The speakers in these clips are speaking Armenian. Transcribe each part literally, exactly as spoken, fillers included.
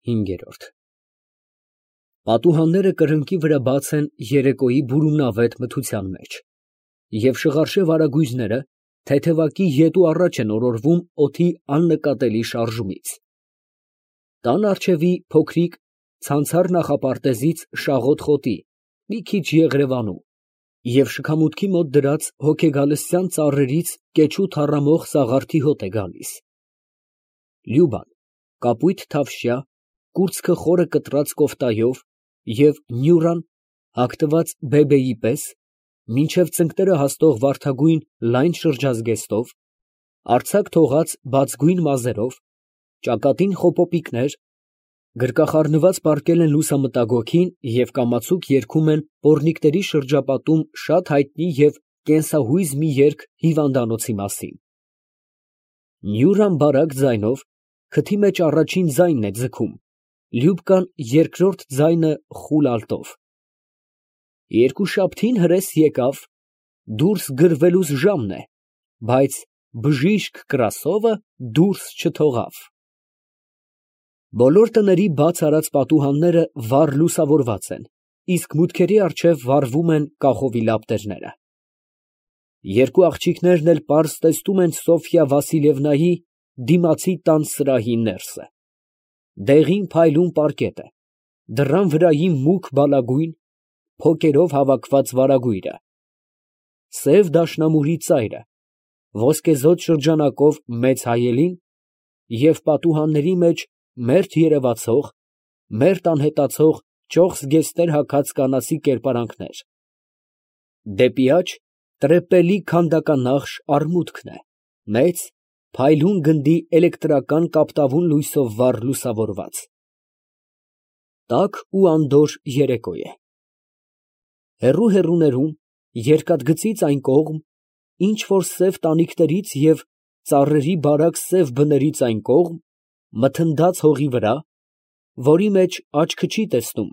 հինգ Պատուհանները կրկնակի վրա բաց են երեկոյի բուրումնավետ մթության մեջ, և շղարշե վարագույրները թեթևակի ետու առաջ են օրորվում օդի աննկատելի շարժումից. տան առջևի փոքրիկ ցանցառ նախապարտեզից շաղոտ խոտի մի քիչ եղրևանու և շքամուտքի մոտ դրած հոգեգալստյան ծառերից կեչու թառամող սաղարթի հոտ է գալիս. Լյուբան կապույտ թավշյա, կուրծքը խորը կտրած կոֆտայով և Նյուրան հագնված բեբեի պես, մինչև ծնկները հասնող վարդագույն լայն շրջազգեստով, արձակ թողած բացգույն մազերով, ճակատին խոպոպիկներ, գրկախառնված պառկել են լուսամտագոգին և կամացուկ երգում են պոռնիկների շրջապատում շատ հայտնի և կենսահույզ մի երգ հիվանդանոցի մասին։ Նյուրան բարակ ձայնով քթի մեջ առաջին ձայնն է ձգում, Լյուբկան երկրորդ ձայնը խուլ ալտով։ Երկուշաբթին հրես եկավ, դուրս գրվելուս ժամն է, բայց բժիշկ Կրասովը դուրս չթողավ։ Բոլոր տների բաց արած պատուհանները վառ լուսավորված են, իսկ մուտքերի առջև վառվում են կախովի լապտերները։ Երկու աղջիկներն էլ պարզ տեսնում են Սոֆյա Վասիլևնայի դիմացի տան սրահի ներսը։ Դեղին փայլուն պարկետ է, դռան վրայի մուգ բալագույն, փոկերով հավաքված վարագույրը, սև դաշնամուրի ծայրը, ոսկեզօծ շրջանակով մեծ հայելին և պատուհանների մեջ մերթ երևացող, մերթ անհետացող ճոխ զգեստներ հագած կանացի կերպարանքներ։ Դեպի աջ տրեպելի քանդականախշ արմուտքն է, մեծ, փայլուն գնդի էլեկտրական կապտավուն լույսով վառ լուսավորված։ Տաք ու անդորր երեկո է։ Հեռու֊հեռուներում, երկաթգծից այն կողմ, ինչ որ սև տանիքներից և ծառերի բարակ սև բներից այն կողմ, մթնդած հողի վրա, որի մեջ աչքը չի տեսնում,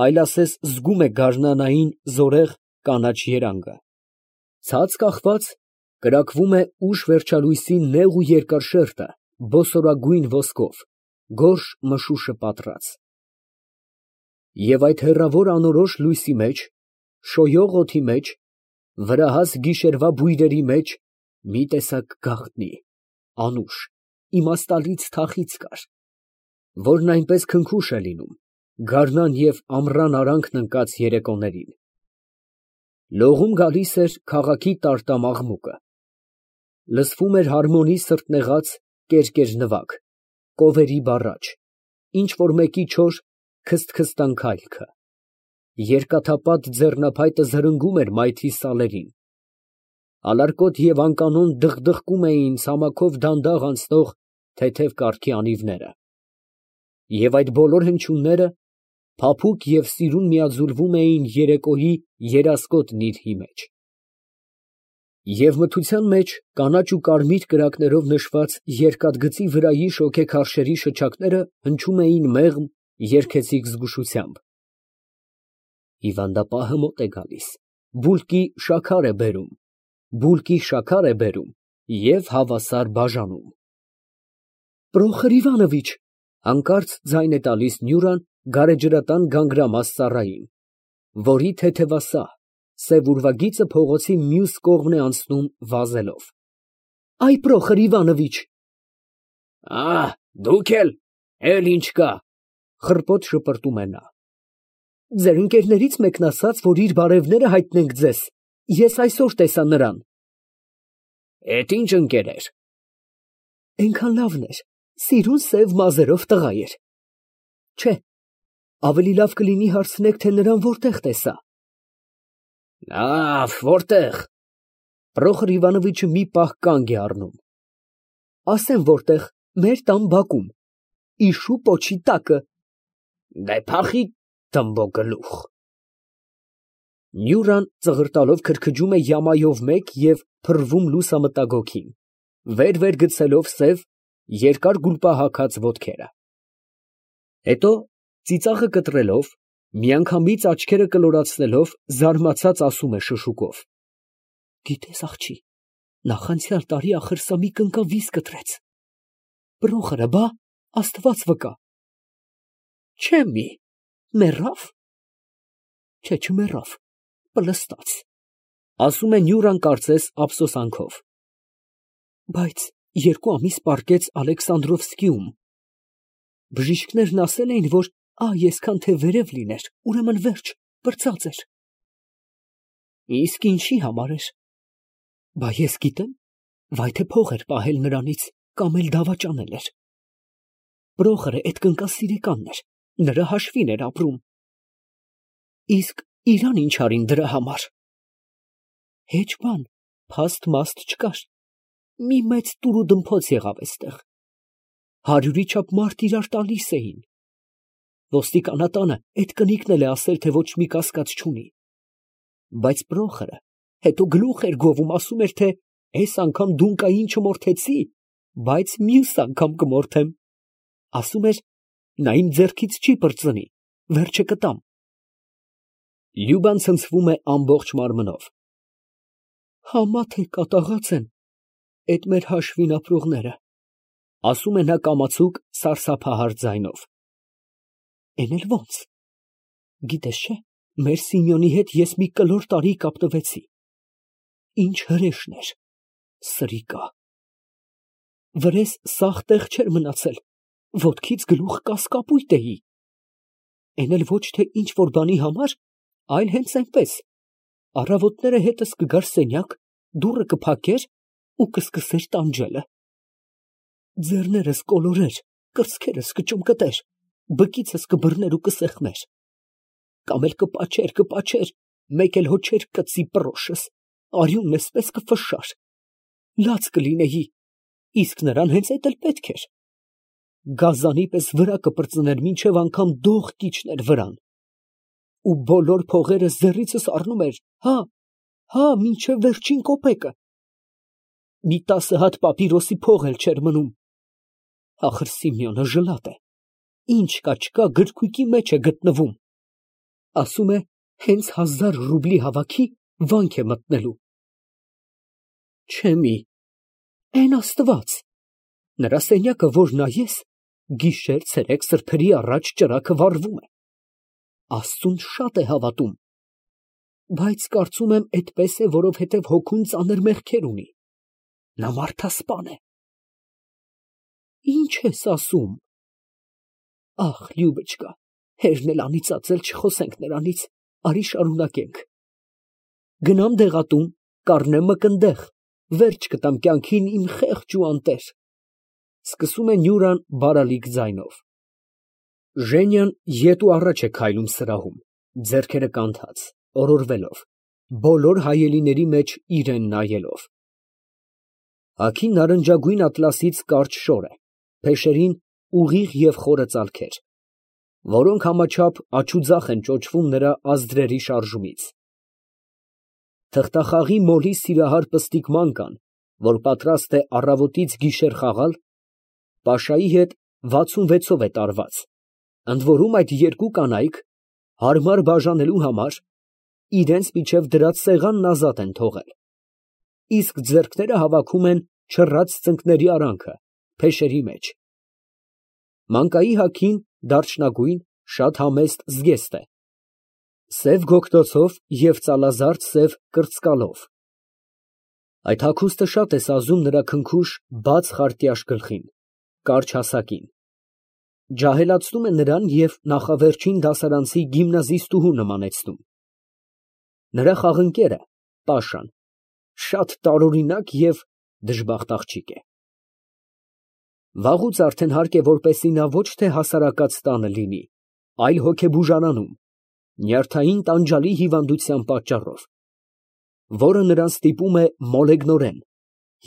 այլ ասես զգում է գարնանային զորեղ կանաչ երանգը, ցած կախված, կրակվում է ուշ վերջալույսի նեղ ու երկար շերտը բոսորագույն ոսկով, գորշ մշուշը պատռած։ Եվ այդ հեռավոր անորոշ լույսի մեջ, շոյող օդի մեջ, վրահաս գիշերվա բույրերի մեջ մի տեսակ գաղտնի, անուշ, իմաստալից թախիծ կար, որն այնպես քնքուշ է լինում գարնան և ամռան արանքն ընկած երեկոներին։ Լողում գալիս էր քաղաքի տարտամ աղմուկը, լսվում էր հարմոնի սրտնեղած կերկեր նվագ, կովերի բառաչ, ինչ որ մեկի չոր քսթքստան քայլքը, երկաթապատ ձեռնափայտը զրնգում էր մայթի սալերին, ալարկոտ և անկանոն դխդխկում էին ցամաքով դանդաղ անցնող թեթև կառքի անիվները, և այդ բոլոր հնչյունները փափուկ և սիրուն միաձուլվում էին երեկոյի երասկոտ նիրհի մեջ։ Եվ մթության մեջ կանաչ ու կարմիր կրակներով նշված երկաթգծի վրայի շոգեքարշերի շչակները հնչում էին մեղմ, երգեցիկ զգուշությամբ։ Հիվանդապահը մոտ է գալիս, բուլկի շաքար է բերում, բուլկի շաքար է բերում և հավասար բաժանում։ Պրոխոր Իվանովիչ, հանկարծ ձայն է տալիս Նյուրան գարեջրատան գանգրամաս ծառային, որի թեթևասահ, սև ուրվագիծը փողոցի մյուս կողմն է անցնում վազելով։ Այ Պրոխոր Իվանովիչ։ Ա, դուք էլ, էլ ինչ կա, խռպոտ շպրտում է նա։ Ձեր ընկերներից մեկն ասաց, որ իր բարևները հայտնենք ձեզ, ես այսօր տեսա նրան։ Էդ ինչ ընկեր էր։ Էնքան լավն էր, սիրուն սև մազերով տղա էր։ Չէ, ավելի լավ կլինի հարցնեք, թե նրան որտեղ տեսա։ Լավ, որտեղ։ Պրոխոր Իվանովիչը մի պահ կանգ է առնում։ Ասեմ որտեղ, մեր տան բակում, իշու պոչի տակը։ Դե փախի թմբոկգլուխ։ Նյուրան ծղրտալով քրքջում է յամայով մեկ և փռվում լուսամտագոգին, վեր֊վեր գցելով սև, երկար գուլպահագած ոտքերը։ Հետո ծիծաղը կտրելով, միանգամից աչքերը կլորացնելով, զարմացած ասում է շշուկով. Գիտես, աղջի, նախանցյալ տարի ախրսամի կնկավ վիզ կտրեց։ Պրոխորը, բա, Աստված վկա։ Չեմի, մեռավ։ Չէ, չմեռավ, պլստաց, ասում է Նյուրան կարծես ափսոսանքով։ Բայց երկու ամիս պառկեց Ալեքսանդրովսկիում։ Բժիշկներն ասել էին, որ ա այսքան թե վերև լիներ, ուրեմն վերջ, պրծած էր։ Իսկ ինչի համար էր։ Բա ես գիտեմ, վայ թե փող էր պահել նրանից, կամ էլ դավաճանել էր։ Պրոխորը այդ կնկասիրիկանն էր, նրա հաշվին էր ապրում։ Իսկ իրան ինչ արին դրա համար։ Հեչ բան, փաստ մաստ չկար։ Մի մեծ տուրուդմփոց եղավ այստեղ։ Հարյուրի չափ մարդ իրար տալիս էին։ Ոստիկանատանը այդ կնիկն էլ է ասել, թե ոչ մի կասկած չունի։ Բայց Պրոխորը հետո գլուխ էր գովում, ասում էր, թե այս անգամ դունկային չմորթեցի, բայց մյուս անգամ կմորթեմ։ Ասում էր, նա իմ ձեռքից չի պրծնի, վերջը կտամ։ Լյուբան ցնցվում է ամբողջ մարմնով։ Համա թե կատաղած են այդ մեր հաշվին ապրողները, ասում է նա կամացուկ սարսափահար ձայնով։ Էն էլ ոնց։ Գիտես չէ, մեր Սիմեոնի հետ ես մի կլոր տարի կապտվեցի։ Ինչ հրեշն էր, սրիկա։ Վրես սաղ տեղ չէր մնացել, ոտքից գլուխ կասկապույտ էի։ Էն էլ ոչ թե ինչ որ բանի համար, այլ հենց այնպես։ Առավոտները հետս կգար սենյակ, դուռը կփակեր ու կսկսեր տանջելը։ Ձեռներս կոլորեր, կրծքերս կճմկտեր, բկիցս կբռներ ու կսեղմեր։ Կամ էլ կպաչեր, կպաչեր, մեկ էլ հո չէր կծի պրոշս, արյունն էսպես կֆշար։ Լաց կլինեի, իսկ նրան հենց էդ էլ պետք էր։ Գազանի պես վրա կպրծներ, մինչև անգամ դող կիջներ վրան։ Ու բոլոր փողերը ձեռիցս առնում էր, հա, հա, մինչև վերջին կոպեկը։ Մի տասը հատ պապիրոսի փող էլ չէր մնում։ Ախր Սիմեոնը ժլատ է, ինչ կա չկա գրքույկի մեջ է գտնվում։ Ասում է, հենց հազար ռուբլի հավաքի վանք է մտնելու։ Չեմի, էն աստված, նրա սենյակը, որ նայես, գիշեր ցերեկ սրբերի առաջ ճրագը վառվում է։ Աստծուն շատ է հավատում, բայց կարծում եմ այդպես է, որովհետև հոգուն ծանր մեղքեր ունի։ Նա մարդասպան է։ Ինչ ես ասում։ Ախ, Լյուբոչկա, հերն էլ անիծածել չխոսենք նրանից, արի շարունակենք։ Գնամ դեղատուն, կառնեմ մկնդեղ, վերջ կտամ կյանքին իմ խեղճ ու անտեր։ Սկսում է Նյուրան բարալիկ ձայնով։ Ժենյան ետ ու առաջ է քայլում սրահում, ձեռքերը կանթած, օրորվելով, բոլոր հայելիների մեջ իրան նայելով։ Հագին նարնջագույն ատլասից կարճ շոր է, փեշերին ուղիղ և խորը ծալքեր, որոնք համաչափ աջուձախ են ճոճվում նրա ազդրերի շարժումից։ Թղթախաղի մոլի սիրահար պստիկ մանկան, որ պատրաստ է առավոտից գիշեր խաղալ, պաշայի հետ վաթսունվեցով է տարված, ընդ որում այդ երկու կանայք, հարմար բաժանելու համար, իրենց միջև դրած սեղանն ազատ են թողել, իսկ ձեռքները հավաքում են չռած ծնկների արանքը, փեշերի մեջ։ Մանկայի հագին դարչնագույն, շատ համեստ զգեստ է, սև գոգտոցով և ծալազարդ սև կրծկալով։ Այդ հագուստը շատ է սազում նրա քնքուշ, բաց խարտյաշ գլխին, կարճ հասակին, ջահելացնում է նրան և նախավերջին դասարանցի գիմնազիստուհու նմանեցնում։ Նրա խաղընկերը՝ Պաշան, շատ տարօրինակ և դժբախտ աղջիկ է։ Վաղուց արդեն հարկ է, որպեսզի նա ոչ թե հասարակած տանը լինի, այլ հոգեբուժարանում, նյարդային տանջալի հիվանդության պատճառով, որը նրան ստիպում է մոլեգնորեն,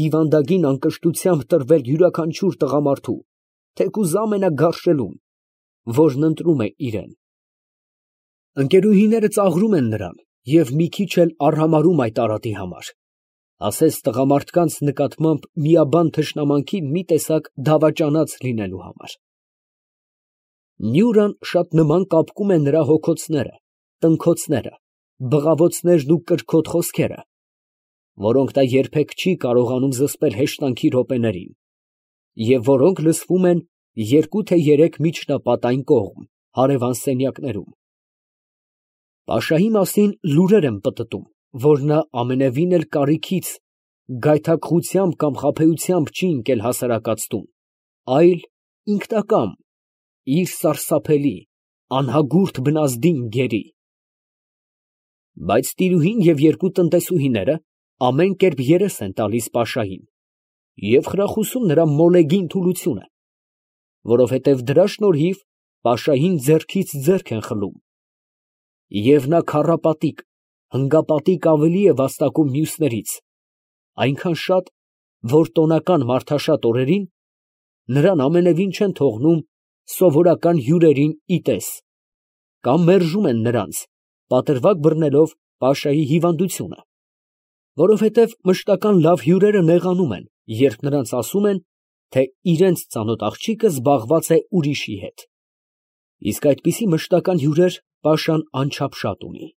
հիվանդագին անկշտությամբ տրվել յուրաքանչյուր տղամարդու, թեկուզ ամենագարշելուն, որն ընտրում է իրան։ Ընկերուհիները ծաղրում են նրան և մի քիչ էլ արհամարհում այդ արատի համար, ասես տղամարդկանց նկատմամբ միաբան թշնամանքի մի տեսակ դավաճանած լինելու համար։ Նյուրան շատ նման կապկում է նրա հոգոցները, տնքոցները, բղավոցներն ու կրքոտ խոսքերը, որոնք նա երբեք չի կարողանում զսպել հեշտանքի րոպեներին, և որոնք լսվում են երկու թե երեք միջնապատ այն կողմ, հարևան սենյակներում։ Պաշայի մասին լուրեր եմ պտտում, որ նա ամենևին էլ կարիքից, գայթակղությամբ կամ խաբեությամբ չի ընկել հասարակած տուն, այլ ինքնակամ, իր սարսափելի, անհագուրդ բնազդին գերի։ Բայց տիրուհին և երկու տնտեսուհիները ամեն կերպ երես են տալիս պաշային և խրախուսում նրա մոլեգին թուլությունը, որովհետև դրա շնորհիվ պաշային ձեռքից ձեռք են խլում, և նա քառապատիկ, հնգապատիկ ավելի է վաստակում մյուսներից, այնքան շատ, որ տոնական մարդաշատ օրերին նրան ամենևին չեն թողնում սովորական հյուրերին ի տես, կամ մերժում են նրանց, պատրվակ բռնելով պաշայի հիվանդությունը, որովհետև մշտական լավ հյուրերը նեղանում են, երբ նրանց ասում են, թե իրանց ծանոթ աղջիկը զբաղված է ուրիշի հետ, իսկ այդպիսի մշտական հյուրեր պաշան անչափ շատ ունի։